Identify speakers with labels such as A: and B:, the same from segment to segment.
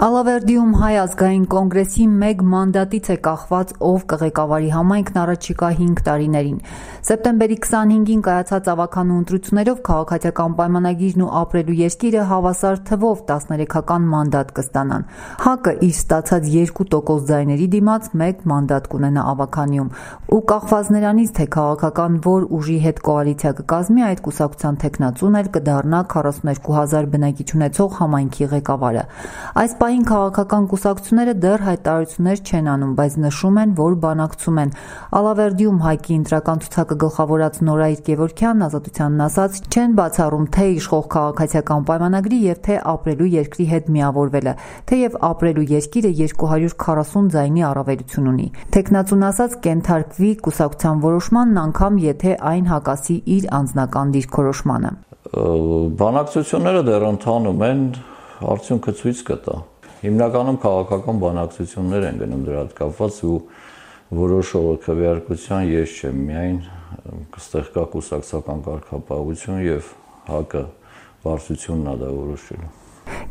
A: Ալավերդիում Հայ ազգային կոնգրեսի մեկ մանդատից է կախված ով կղեկավարի համայնքն առաջիկա 5 տարիներին։ Սեպտեմբերի 25-ին կայացած ավականու ընտրություններով քաղաքացիական պայմանագիրն ու ապրելու երկիրը հավասար թվով 13-ական մանդատ կստանան։ ՀԱԿ-ը իր ստացած 2% ձայների դիմաց մեկ մանդատ կունենա ավականիում ու կախված նրանից, թե քաղաքական որ ուժի հետ կոալիցիա կկազմի, այդ կուսակցության թեկնածուն էլ կդառնա 42,000 բնակիչ ունեցող համայնքի ղեկավարը։ Այս պահին քաղաքական կուսակցությունները դեռ հայտարարություններ չեն անում, բայց նշում են, որ բանակցում են։ Ալավերդիում ՀԱԿ-ի ընտրական ցուցակը գլխավորած Նորայր Գևորգյանն Ազատությանն ասաց, չեն բացառում թե իշխող քաղաքացիական պայմանագրի եւ թե ապրելու երկրի հետ միավորվելը, թեև ապրելու երկիրը 240 ձայնի առավելություն ունի։ Թեկնածուն ասաց, կենթարկվի կուսակցության որոշմանն անգամ եթե այն հակասի իր անձնական դիրքորոշմանը։
B: Բանակցությունները դեռ ընթանում են, արդյունքը ցույց կտա։ Հիմնականում քաղաքական բանակցություններ են գնում դրա հետ կապված ու որոշողը քվեարկության ես չեմ, միայն կստեղ կա կուսակցական կարգապահություն եւ ՀԱԿ-ը բարձությունն է դա որոշելու։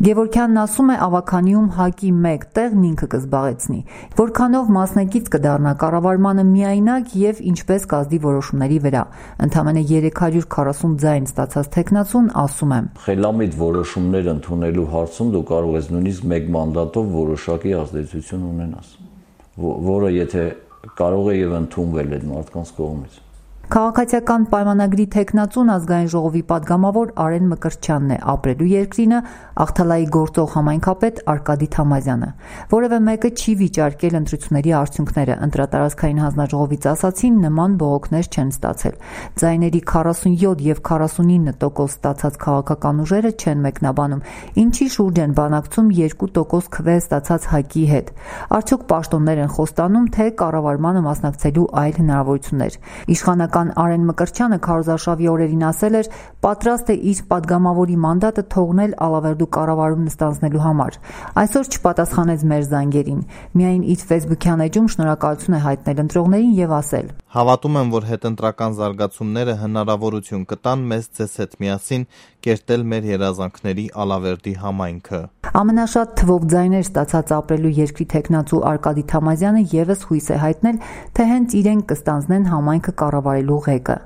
A: Գևորգյանն ասում է, ավականիում ՀԱԿ-ի մեկ տեղն ինքը կզբաղեցնի, որքանով մասնակից կդառնա կառավարմանը միայնակ եւ ինչպես կազդի որոշումների վրա։ Ընդամենը 340 ձայն ստացած թեկնածուն ասում է.
B: Խելամիտ որոշումներ ընդունելու հարցում դու կարող ես նույնիսկ մեկ մանդատով որոշակի ազդեցություն ունենաս, որը եթե կարող է եւ ընդունվել այդ մարդկանց կողմից։
A: Քաղաքացիական պայմանագրի թեկնածուն ազգային ժողովի падգամավոր Արեն Մկրտչյանն է, ապրելու երկրինը Աղթալայի գործող համայնքապետ Արկադի Թամազյանը։ Որևէ մեկը չի վիճարկել ընտրությունների արդյունքները, ընտրատարածքային հանձնաժողովից ասացին, նման բողոքներ չեն ստացել։ Ձայների 47 եւ 49% ստացած քաղաքական ուժերը չեն մեկնաբանում, ինչի շուրջ են բանակցում 2% քվե ստացած ՀԱԿ-ի հետ։ Արդյոք պաշտոններ են խոստանում, թե կառավարմանը մասնակցելու այլ հնարավորություններ։ Իշխանական Արեն Մկրտչյանը քարոզարշավի օրերին ասել էր, պատրաստ է իր падգամավորի մանդատը թողնել Ալավերդու կառավարում նստանձնելու համար։ Այսօր չպատասխանեց մեր զանգերին։ Միայն իր Facebook-յան էջում շնորհակալություն է հայտնել ընտրողներին եւ ասել.
C: Հավատում եմ, որ հետընտրական զարգացումները հնարավորություն կտան մեզ ձեզ հետ միասին կերտել մեր երազանքների Ալավերդի համայնքը։
A: Ամենաշատ թվով ձայներ ստացած ապրելու երկրի թեկնածու Արկադի Թամազյանը եւս հույս է հայտնել, թե հենց իրենք կստանձնեն համայնքը կառավարելու ղեկը։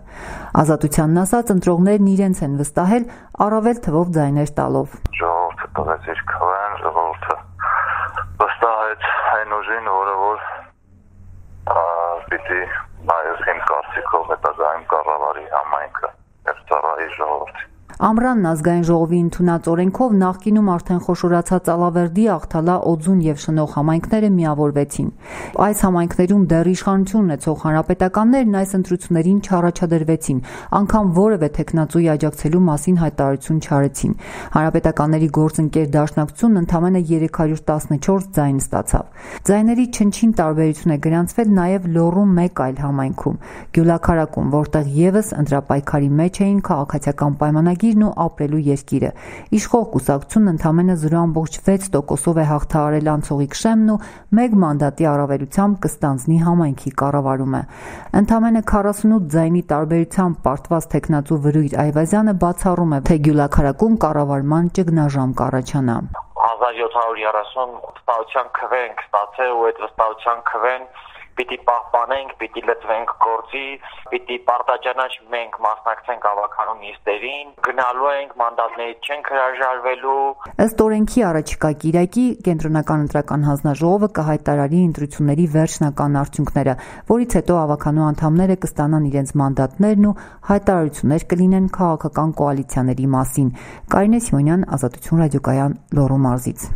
A: Ազատությանն ասած, ընտրողներն իրենց են վստահել առավել թվով ձայներ տալով։
D: Ժողովուրդը տվեց իր քվեն, ժողովուրդը վստահեց այն ուժին, որը որ պիտի նայես իմ կարծիքով հետագայում կառավարի համայնքը եւ ծառայի ժողովրդին։
A: Ամռանն ազգային ժողովի ընդունած օրենքով նախկինում արդեն խոշորացած Ալավերդի, Աղթալա, Օձուն եւ Շնող համայնքները միավորվեցին։ Այս համայնքներում դեռ իշխանություն ունեցող հանրապետականներն այս ընտրություններին չառաջադրվեցին, անգամ որևէ թեկնածուի աջակցելու մասին հայտարարություն չարեցին։ Հանրապետականների գործընկեր դաշնակցությունն ընդամենը 314 ձայն ստացավ։ Ձայների չնչին տարբերություն է գրանցվել նաեւ Լոռու մեկ այլ համայնքում՝ Գյուլաքարակում, որտեղ եւս ընտրապայքարի մեջ էին քաղաքացիական պայմանագիր ու ապրելու երկիրը։ Իշխող կուսակցությունն ընդամենը 0.6%-ով է հաղթահարել Անցողիկ Շեմն ու մեկ մանդատի առավելությամբ կստանձնի համայնքի կառավարումը։ Ընդամենը 48 ձայնի տարբերությամբ պարտված թեկնածու Վրույր Այվազյանը բացառում է, թե Գյուլաքարակում կառավարման ճգնաժամ կառաջանա։
E: 1730 վստահության քվե ենք ստացել ու այդ վստահության քվեն պիտի պահպանենք, պիտի լծվենք գործի, պիտի պարտաճանաչ մենք մասնակցենք ավականու նիստերին, գնալու ենք, մանդատներից չենք հրաժարվելու։
A: Ըստ օրենքի առաջիկա կիրակի Կենտրոնական ընտրական հանձնաժողովը կհայտարարի ընտրությունների վերջնական արդյունքները, որից հետո ավականու անդամները կստանան իրենց մանդատներն ու հայտարարություններ կլինեն քաղաքական կոալիցիաների մասին։ Կարինե Սիմոնյան, Ազատություն ռադիոկայան, Լոռու մարզից։